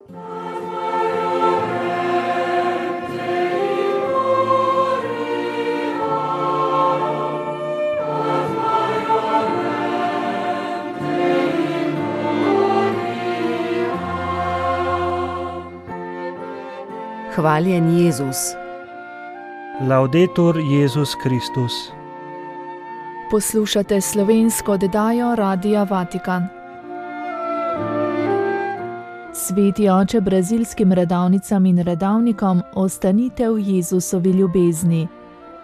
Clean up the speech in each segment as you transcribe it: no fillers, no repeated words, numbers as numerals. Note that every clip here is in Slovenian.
Hvaljen Jezus. Laudetur Jezus Kristus. Poslušate slovensko oddajo Radia Vatikan. Sveti oče brazilskim redavnicam in redavnikom, ostanite v Jezusovi ljubezni.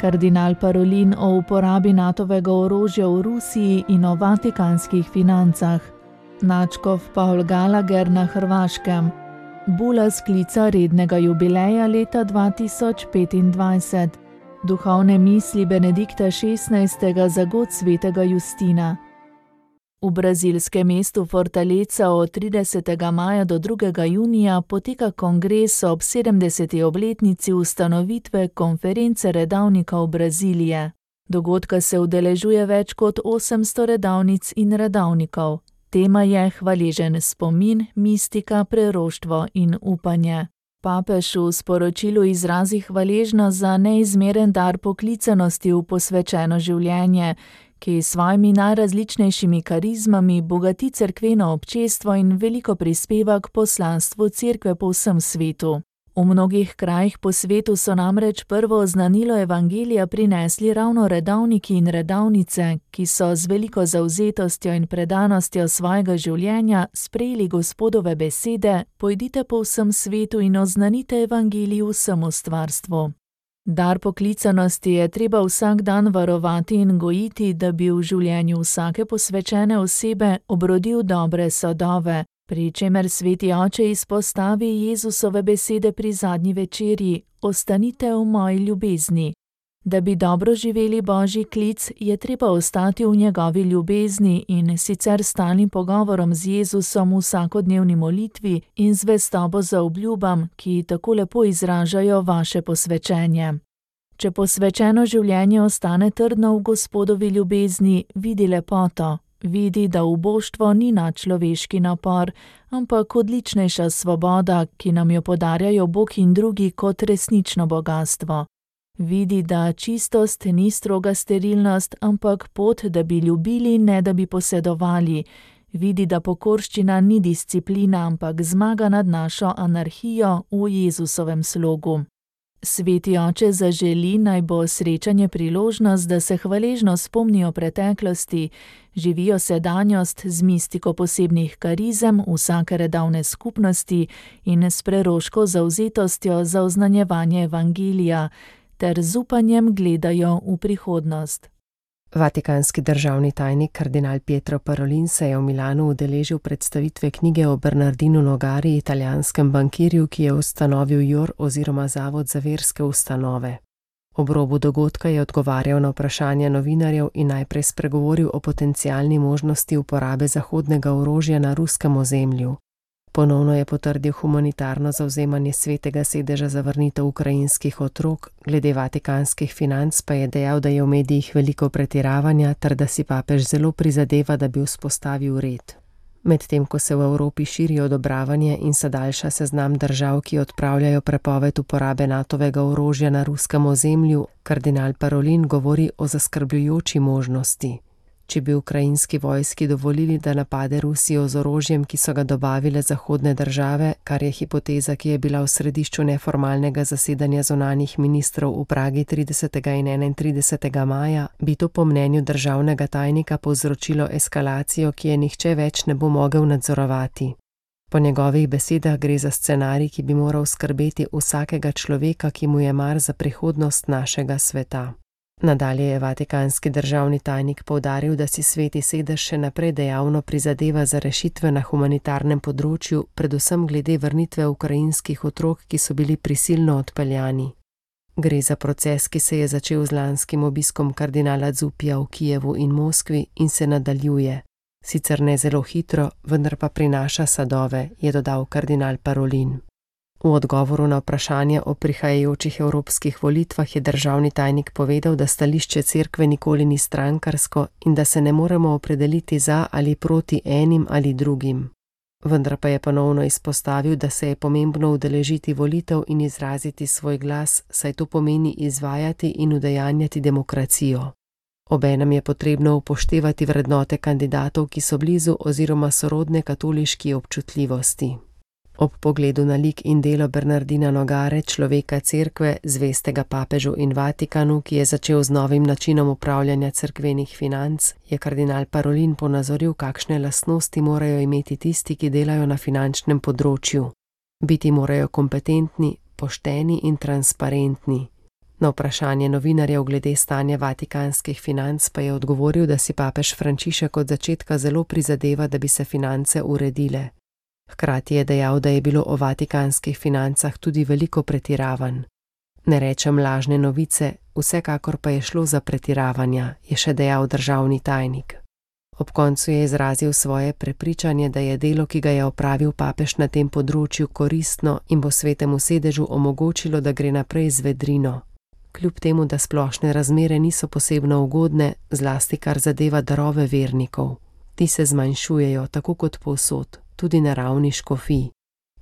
Kardinal Parolin o uporabi Natovega orožja v Rusiji in o vatikanskih financah. Nadškof Paul Gallagher na Hrvaškem. Bula sklica rednega jubileja leta 2025. Duhovne misli Benedikta XVI. Za god svetega Justina. V brazilskem mestu Fortaleza od 30. maja do 2. junija poteka kongres ob 70. obletnici ustanovitve Konference redavnikov Brazilije. Dogodka se udeležuje več kot 800 redavnic in redavnikov. Tema je hvaležen spomin, mistika, preroštvo in upanje. Papež v sporočilu izrazi hvaležnost za neizmeren dar poklicanosti v posvečeno življenje, ki s svojimi najrazličnejšimi karizmami bogati cerkveno občestvo in veliko prispeva k poslanstvu cerkve po vsem svetu. V mnogih krajih po svetu so namreč prvo oznanilo evangelija prinesli ravno redavniki in redavnice, ki so z veliko zavzetostjo in predanostjo svojega življenja sprejeli Gospodove besede: pojdite po vsem svetu in oznanite evangelij vsemu stvarstvu. Dar poklicanosti je treba vsak dan varovati in gojiti, da bi v življenju vsake posvečene osebe obrodil dobre sadove, pri čemer sveti oče izpostavi Jezusove besede pri zadnji večerji: ostanite v moji ljubezni. Da bi dobro živeli Božji klic, je treba ostati v njegovi ljubezni in sicer stalnim pogovorom z Jezusom v vsakodnevni molitvi in zvestobo za obljubam, ki tako lepo izražajo vaše posvečenje. Če posvečeno življenje ostane trdno v Gospodovi ljubezni, vidi lepoto. Vidi, da uboštvo ni nadčloveški napor, ampak odličnejša svoboda, ki nam jo podarjajo Bog in drugi kot resnično bogastvo. Vidi, da čistost ni stroga sterilnost, ampak pot, da bi ljubili, ne da bi posedovali. Vidi, da pokorščina ni disciplina, ampak zmaga nad našo anarhijo v Jezusovem slogu. Sveti oče zaželi, naj bo srečanje priložnost, da se hvaležno spomnijo preteklosti, živijo sedanjost z mistiko posebnih karizem vsake redavne skupnosti in s preroško zavzetostjo za oznanjevanje evangelija, ter z upanjem gledajo v prihodnost. Vatikanski državni tajnik kardinal Pietro Parolin se je v Milanu udeležil predstavitve knjige o Bernardinu Nogari, italijanskem bankirju, ki je ustanovil JOR oziroma Zavod za verske ustanove. Ob robu dogodka je odgovarjal na vprašanja novinarjev in najprej spregovoril o potencialni možnosti uporabe zahodnega orožja na ruskem ozemlju. Ponovno je potrdil humanitarno zavzemanje Svetega sedeža za vrnitev ukrajinskih otrok, glede vatikanskih financ pa je dejal, da je v medijih veliko pretiravanja ter da si papež zelo prizadeva, da bi vzpostavil red. Medtem ko se v Evropi širi odobravanje in se daljša seznam držav, ki odpravljajo prepoved uporabe Natovega orožja na ruskem ozemlju, kardinal Parolin govori o zaskrbljujoči možnosti. Če bi ukrajinski vojski dovolili, da napade Rusijo z orožjem, ki so ga dobavile zahodne države, kar je hipoteza, ki je bila v središču neformalnega zasedanja zunanjih ministrov v Pragi 30. in 31. maja, bi to po mnenju državnega tajnika povzročilo eskalacijo, ki je nihče več ne bo mogel nadzorovati. Po njegovih besedah gre za scenarij, ki bi moral skrbeti vsakega človeka, ki mu je mar za prihodnost našega sveta. Nadalje je vatikanski državni tajnik poudaril, da si Sveti sedež še naprej dejavno prizadeva za rešitve na humanitarnem področju, predvsem glede vrnitve ukrajinskih otrok, ki so bili prisilno odpeljani. Gre za proces, ki se je začel z lanskim obiskom kardinala Zupija v Kijevu in Moskvi in se nadaljuje. Sicer ne zelo hitro, vendar pa prinaša sadove, je dodal kardinal Parolin. V odgovoru na vprašanje o prihajajočih evropskih volitvah je državni tajnik povedal, da stališče cerkve nikoli ni strankarsko in da se ne moremo opredeliti za ali proti enim ali drugim. Vendar pa je ponovno izpostavil, da se je pomembno udeležiti volitev in izraziti svoj glas, saj to pomeni izvajati in udejanjati demokracijo. Obenem je potrebno upoštevati vrednote kandidatov, ki so blizu oziroma sorodne katoliški občutljivosti. Ob pogledu na lik in delo Bernardina Nogare, človeka cerkve, zvestega papežu in Vatikanu, ki je začel z novim načinom upravljanja cerkvenih financ, je kardinal Parolin ponazoril, kakšne lastnosti morajo imeti tisti, ki delajo na finančnem področju. Biti morajo kompetentni, pošteni in transparentni. Na vprašanje novinarjev glede stanja vatikanskih financ pa je odgovoril, da si papež Frančišek od začetka zelo prizadeva, da bi se finance uredile. Hkrati je dejal, da je bilo o vatikanskih financah tudi veliko pretiravanj. Ne rečem lažne novice, vsekakor pa je šlo za pretiravanja, je še dejal državni tajnik. Ob koncu je izrazil svoje prepričanje, da je delo, ki ga je opravil papež na tem področju, koristno in bo Svetemu sedežu omogočilo, da gre naprej z vedrino. Kljub temu, da splošne razmere niso posebno ugodne, zlasti kar zadeva darove vernikov. Ti se zmanjšujejo, tako kot povsod, tudi na ravni škofij.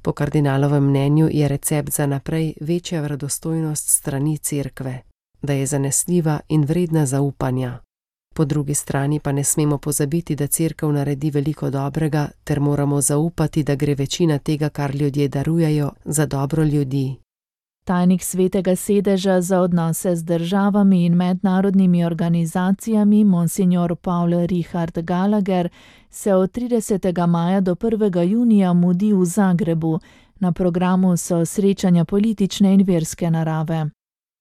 Po kardinalovem mnenju je recept za naprej večja verodostojnost strani cerkve, da je zanesljiva in vredna zaupanja. Po drugi strani pa ne smemo pozabiti, da cerkev naredi veliko dobrega, ter moramo zaupati, da gre večina tega, kar ljudje darujejo, za dobro ljudi. Tajnik Svetega sedeža za odnose z državami in mednarodnimi organizacijami, monsignor Paul Richard Gallagher, se od 30. maja do 1. junija mudi v Zagrebu. Na programu so srečanja politične in verske narave.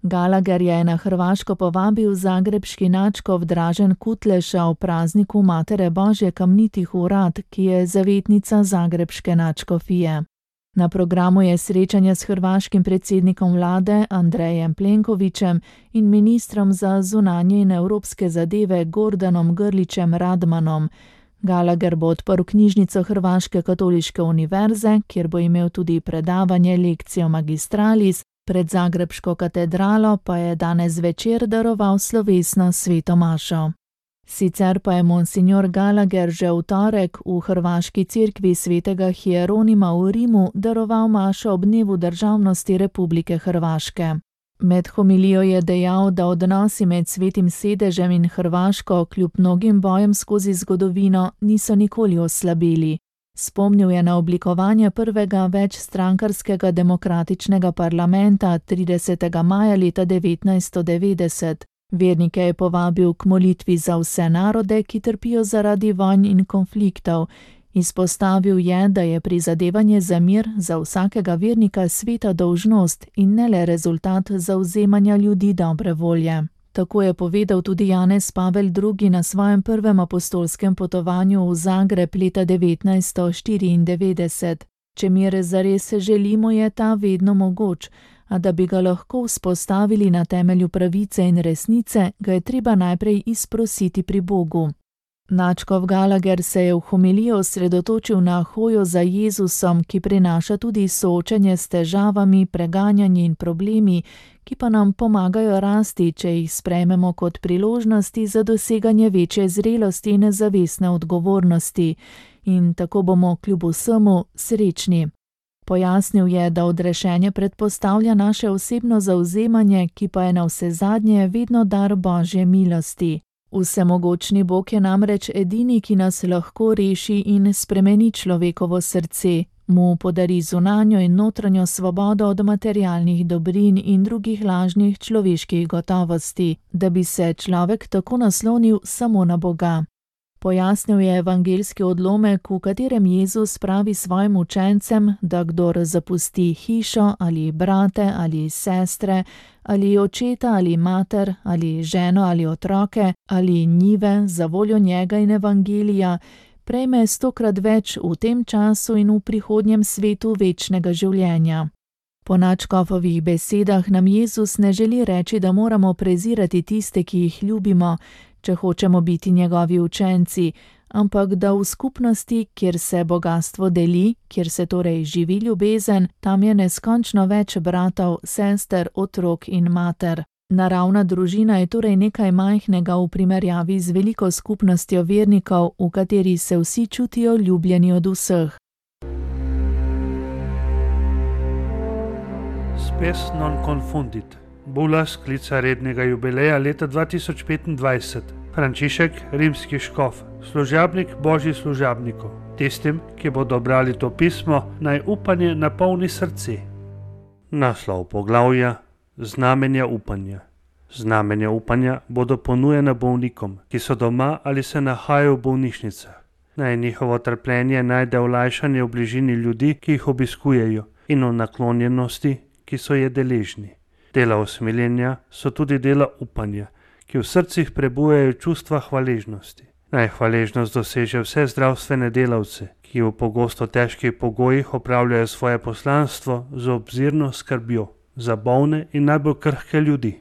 Gallagher je na Hrvaško povabil zagrebški nadškof Dražen Kutleša v prazniku Matere Božje Kamnitih Urad, ki je zavetnica zagrebške nadškofije. Na programu je srečanje s hrvaškim predsednikom vlade Andrejem Plenkovićem in ministrom za zunanje in evropske zadeve Gordanom Grlićem Radmanom. Gallagher bo odprl knjižnico Hrvaške katoliške univerze, kjer bo imel tudi predavanje Lectio Magistralis, pred zagrebško katedralo pa je danes večer daroval slovesno sveto mašo. Sicer pa je monsignor Gallagher že v torek v hrvaški cerkvi svetega Hieronima v Rimu daroval mašo ob dnevu državnosti Republike Hrvaške. Med homilijo je dejal, da odnosi med Svetim sedežem in Hrvaško kljub mnogim bojem skozi zgodovino niso nikoli oslabeli. Spomnil je na oblikovanje prvega večstrankarskega demokratičnega parlamenta 30. maja leta 1990. Vernike je povabil k molitvi za vse narode, ki trpijo zaradi vojn in konfliktov. Izpostavil je, da je prizadevanje za mir za vsakega vernika sveta dolžnost in ne le rezultat zavzemanja ljudi dobre volje. Tako je povedal tudi Janez Pavel II. Na svojem prvem apostolskem potovanju v Zagreb leta 1994. Če mir zares želimo, je ta vedno mogoč, a da bi ga lahko vzpostavili na temelju pravice in resnice, ga je treba najprej izprositi pri Bogu. Nadškof Gallagher se je v homiliji osredotočil na hojo za Jezusom, ki prinaša tudi soočenje s težavami, preganjanje in problemi, ki pa nam pomagajo rasti, če jih sprejmemo kot priložnosti za doseganje večje zrelosti in zavestne odgovornosti. In tako bomo kljub vsemu srečni. Pojasnil je, da odrešenje predpostavlja naše osebno zavzemanje, ki pa je navsezadnje vedno dar Božje milosti. Vsemogočni Bog je namreč edini, ki nas lahko reši in spremeni človekovo srce, mu podari zunanjo in notranjo svobodo od materialnih dobrin in drugih lažnih človeških gotovosti, da bi se človek tako naslonil samo na Boga. Pojasnil je evangeljski odlomek, v katerem Jezus pravi svojim učencem, da kdor zapusti hišo ali brate ali sestre ali očeta ali mater ali ženo ali otroke ali njive za voljo njega in evangelija, prejme 100-krat več v tem času in v prihodnjem svetu večnega življenja. Po nadškofovih besedah nam Jezus ne želi reči, da moramo prezirati tiste, ki jih ljubimo, če hočemo biti njegovi učenci, ampak da v skupnosti, kjer se bogastvo deli, kjer se torej živi ljubezen, tam je neskončno več bratov, sester, otrok in mater. Naravna družina je torej nekaj majhnega v primerjavi z veliko skupnostjo vernikov, v kateri se vsi čutijo ljubljeni od vseh. spes non confundit. Bula sklica rednega jubileja leta 2025. Frančišek, rimski škof, služabnik božji služabnikov. Tistim, ki bodo brali to pismo, naj upanje napolni srce. Naslov poglavja: Znamenja upanja. Znamenja upanja bodo ponujena bolnikom, ki so doma ali se nahajajo v bolnišnicah. Naj njihovo trpljenje najde olajšanje v bližini ljudi, ki jih obiskujejo, in v naklonjenosti, ki so je deležni. Dela usmiljenja so tudi dela upanja, ki v srcih prebujajo čustva hvaležnosti. Naj hvaležnost doseže vse zdravstvene delavce, ki v pogosto težkih pogojih opravljajo svoje poslanstvo z obzirno skrbjo za bolne in najbolj krhke ljudi.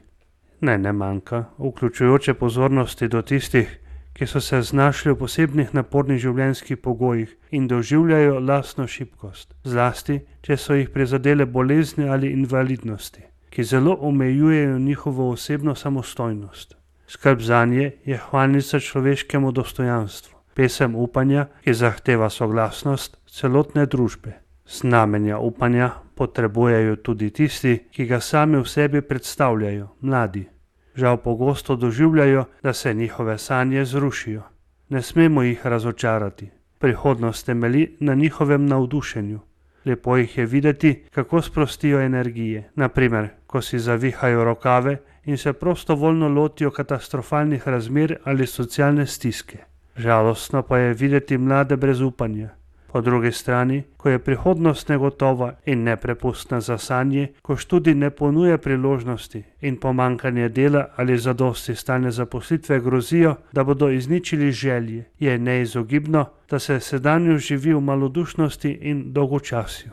Naj ne manjka vključujoče pozornosti do tistih, ki so se znašli v posebnih napornih življenjskih pogojih in doživljajo lastno šibkost, zlasti, če so jih prizadele bolezni ali invalidnosti, ki zelo omejujejo njihovo osebno samostojnost. Skrb zanje je hvalnica človeškemu dostojanstvu, pesem upanja, ki zahteva soglasnost celotne družbe. Znamenja upanja potrebujejo tudi tisti, ki ga sami v sebi predstavljajo, mladi. Žal pogosto doživljajo, da se njihove sanje zrušijo. Ne smemo jih razočarati. Prihodnost temelji na njihovem navdušenju. Lepo jih je videti, kako sprostijo energije, naprimer, ko si zavihajo rokave in se prostovoljno lotijo katastrofalnih razmer ali socialne stiske. Žalostno pa je videti mlade brez upanja. Po drugi strani, ko je prihodnost negotova in neprepustna za sanje, ko študij ne ponuja priložnosti in pomanjkanje dela ali zadosti stalne zaposlitve grozijo, da bodo izničili želje, je neizogibno, da se sedanjo živi v malodušnosti in dolgočasju.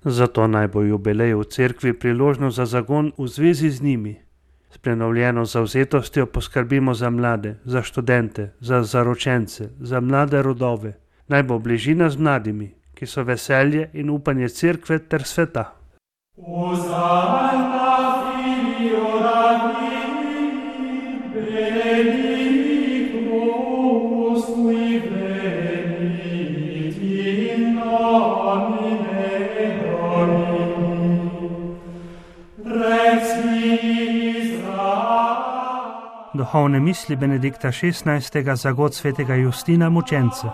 Zato naj bo jubilej v cerkvi priložnost za zagon v zvezi z njimi. S prenovljeno zavzetostjo poskrbimo za mlade, za študente, za zaročence, za mlade rodove. Naj bo bližina z mladimi, ki so veselje in upanje cerkve ter sveta. Duhovne misli Benedikta XVI. Za god svetega Justina mučenca.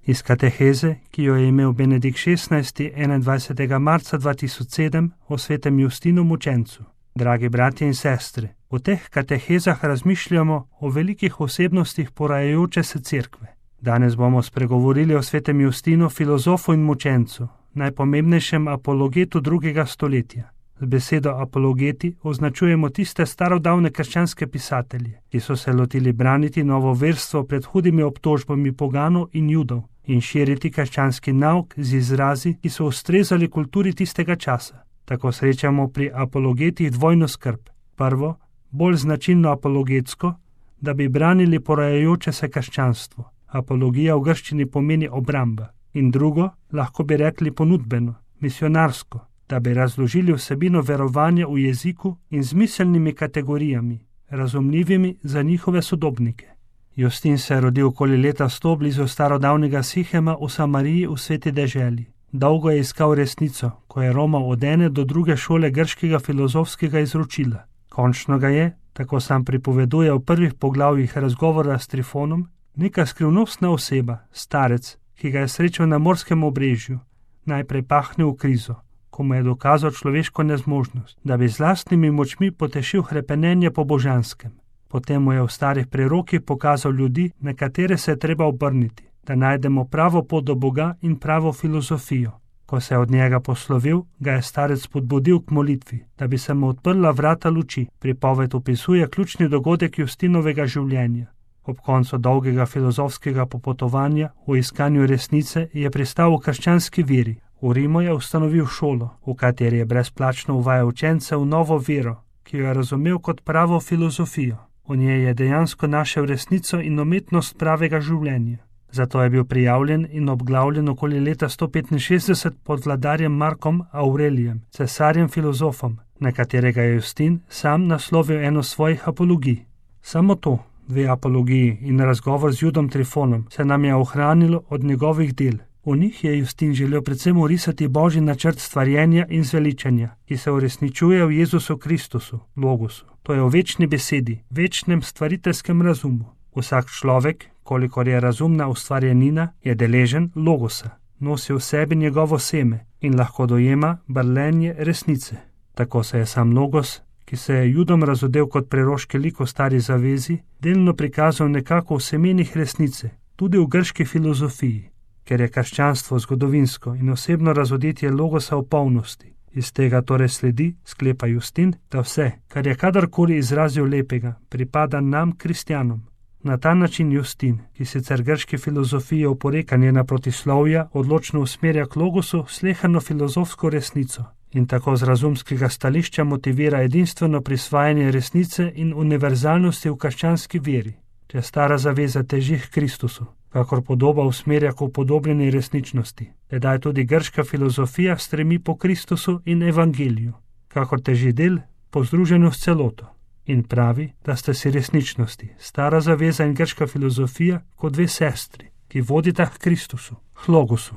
Iz kateheze, ki jo je imel Benedikt XVI. 21. marca 2007 o svetem Justinu mučencu. Dragi bratje in sestre, v teh katehezah razmišljamo o velikih osebnostih porajajoče se cerkve. Danes bomo spregovorili o svetem Justinu, filozofu in mučencu, najpomembnejšem apologetu 2. stoletja. Z besedo apologeti označujemo tiste starodavne krščanske pisatelje, ki so se lotili braniti novo verstvo pred hudimi obtožbami poganov in judov in širiti krščanski nauk z izrazi, ki so ustrezali kulturi tistega časa. Tako srečamo pri apologetih dvojno skrb. Prvo, bolj značilno apologetsko, da bi branili porajajoče se krščanstvo. Apologija v grščini pomeni obramba. In drugo, lahko bi rekli ponudbeno, misionarsko, da bi razložili vsebino verovanja v jeziku in z miselnimi kategorijami, razumljivimi za njihove sodobnike. Justin se je rodil okoli leta 100 blizu starodavnega Sihema v Samariji v sveti deželi. Dolgo je iskal resnico, ko je romal od ene do druge šole grškega filozofskega izročila. Končno ga je, tako sam pripoveduje v prvih poglavjih razgovora s Trifonom, neka skrivnostna oseba, starec, ki ga je srečal na morskem obrežju, najprej pahnil v krizo, ko mu je dokazal človeško nezmožnost, da bi z lastnimi močmi potešil hrepenenje po božanskem. Potem mu je v starih prerokih pokazal ljudi, na katere se je treba obrniti, da najdemo pravo pot do Boga in pravo filozofijo. Ko se je od njega poslovil, ga je starec spodbudil k molitvi, da bi se mu odprla vrata luči. Pripoved opisuje ključni dogodek Justinovega življenja. Ob koncu dolgega filozofskega popotovanja v iskanju resnice je pristal v krščanski veri. V Rimu je ustanovil šolo, v kateri je brezplačno uvajal učence v novo vero, ki jo je razumel kot pravo filozofijo. V njej je dejansko našel resnico in umetnost pravega življenja. Zato je bil prijavljen in obglavljen okoli leta 165 pod vladarjem Markom Aurelijem, cesarjem filozofom, na katerega je Justin sam naslovil eno svojih apologij. Samo to, 2 apologiji in razgovor z Judom Trifonom, se nam je ohranilo od njegovih del. V njih je Justin želel predvsem orisati Božji načrt stvarjenja in zveličanja, ki se uresničuje v Jezusu Kristusu, Logosu. To je v večni besedi, večnem stvariteljskem razumu. Vsak človek, kolikor je razumna ustvarjenina, je deležen Logosa, nosi v sebi njegovo seme in lahko dojema brlenje resnice. Tako se je sam Logos, ki se je Judom razodel kot preroški lik v Stari zavezi, delno prikazal nekako v semenih resnice, tudi v grški filozofiji, ker je krščanstvo zgodovinsko in osebno razodetje Logosa v polnosti. Iz tega torej sledi, sklepa Justin, da vse, kar je kadarkoli izrazil lepega, pripada nam, kristjanom. Na ta način Justin, ki sicer grške filozofije oporekanje na protislovja odločno usmerja k Logosu slehano filozofsko resnico in tako z razumskega stališča motivira edinstveno prisvajanje resnice in univerzalnosti v krščanski veri. Če stara zaveza teži k Kristusu, kakor podoba usmerja k upodobljeni resničnosti, tedaj tudi grška filozofija stremi po Kristusu in evangeliju, kakor teži del po združenju s celoto. In pravi, da sta si resničnosti, stara zaveza in grška filozofija, kot dve sestri, ki vodita k Kristusu, k Logosu.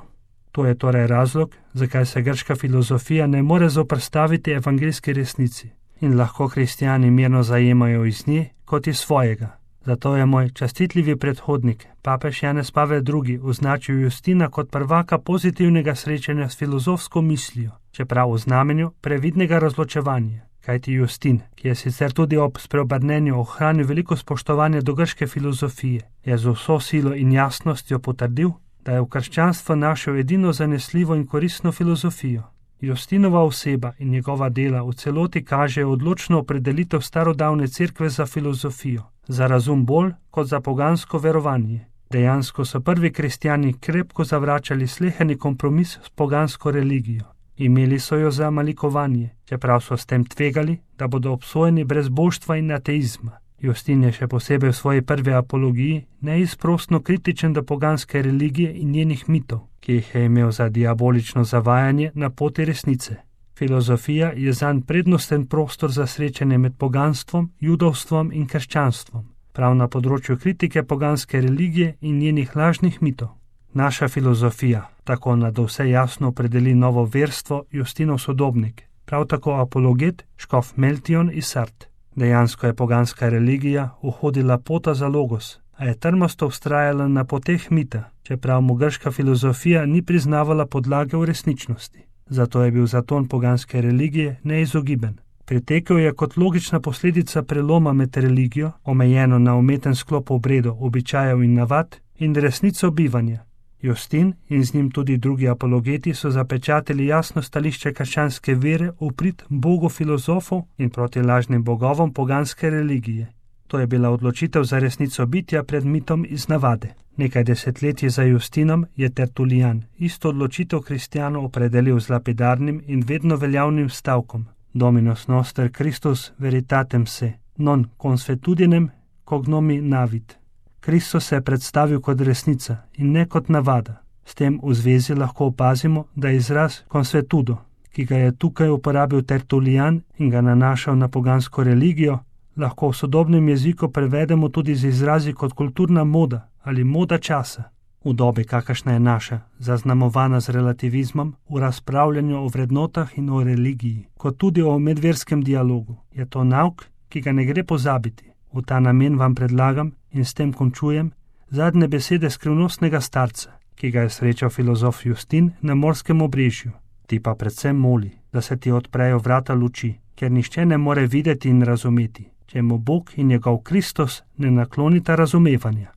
To je torej razlog, zakaj se grška filozofija ne more zoperstaviti evangeljski resnici in lahko kristjani mirno zajemajo iz nje kot iz svojega. Zato je moj častitljivi predhodnik, papež Janez Pavel II, označil Justina kot prvaka pozitivnega srečanja s filozofsko mislijo, čeprav v znamenju previdnega razločevanja. Kajti Justin, ki je sicer tudi ob spreobrnenju ohranil veliko spoštovanje do grške filozofije, je z vso silo in jasnostjo potrdil, da je v krščanstvu našel edino zanesljivo in koristno filozofijo. Justinova oseba in njegova dela v celoti kažejo odločno opredelitev starodavne cerkve za filozofijo, za razum bolj kot za pogansko verovanje. Dejansko so prvi kristjani krepko zavračali sleheni kompromis s pogansko religijo. Imeli so jo za malikovanje, čeprav so s tem tvegali, da bodo obsojeni brez božstva in ateizma. Justin je še posebej v svoji prvi apologiji neizprosno kritičen do poganske religije in njenih mitov, ki jih je imel za diabolično zavajanje na poti resnice. Filozofija je zanj prednosten prostor za srečanje med poganstvom, judovstvom in krščanstvom, prav na področju kritike poganske religije in njenih lažnih mitov. Naša filozofija tako nadvse jasno opredeli novo verstvo Justinov sodobnik, prav tako apologet škof Meltion iz Sardes. Dejansko je poganska religija uhodila pota za Logos, a je trmasto vztrajala na poteh mita, čeprav mu grška filozofija ni priznavala podlage v resničnosti. Zato je bil zaton poganske religije neizogiben. Pritekel je kot logična posledica preloma med religijo, omejeno na umeten sklop obredov, običajev in navad, in resnico bivanja. Justin in z njim tudi drugi apologeti so zapečatili jasno stališče krščanske vere v prid bogu filozofov in proti lažnim bogovom poganske religije. To je bila odločitev za resnico bitja pred mitom iz navade. Nekaj desetletij za Justinom je Tertulijan isto odločitev kristjanov opredelil z lapidarnim in vedno veljavnim stavkom: Dominus noster Christus veritatem se, non consuetudinem cognomi navit. Kristus se je predstavil kot resnica in ne kot navada. S tem v zvezi lahko opazimo, da je izraz consuetudo, ki ga je tukaj uporabil Tertulijan in ga nanašal na pogansko religijo, lahko v sodobnem jeziku prevedemo tudi z izrazi kot kulturna moda ali moda časa. V dobi, kakršna je naša, zaznamovana z relativizmom, v razpravljanju o vrednotah in o religiji, kot tudi o medverskem dialogu, je to nauk, ki ga ne gre pozabiti. V ta namen vam predlagam in s tem končujem zadnje besede skrivnostnega starca, ki ga je srečal filozof Justin na Morskem obrežju. Ti pa predvsem moli, da se ti odprejo vrata luči, ker nihče ne more videti in razumeti, če mu Bog in njegov Kristus ne naklonita razumevanja.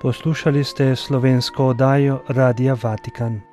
Poslušali ste slovensko oddajo Radia Vatikan.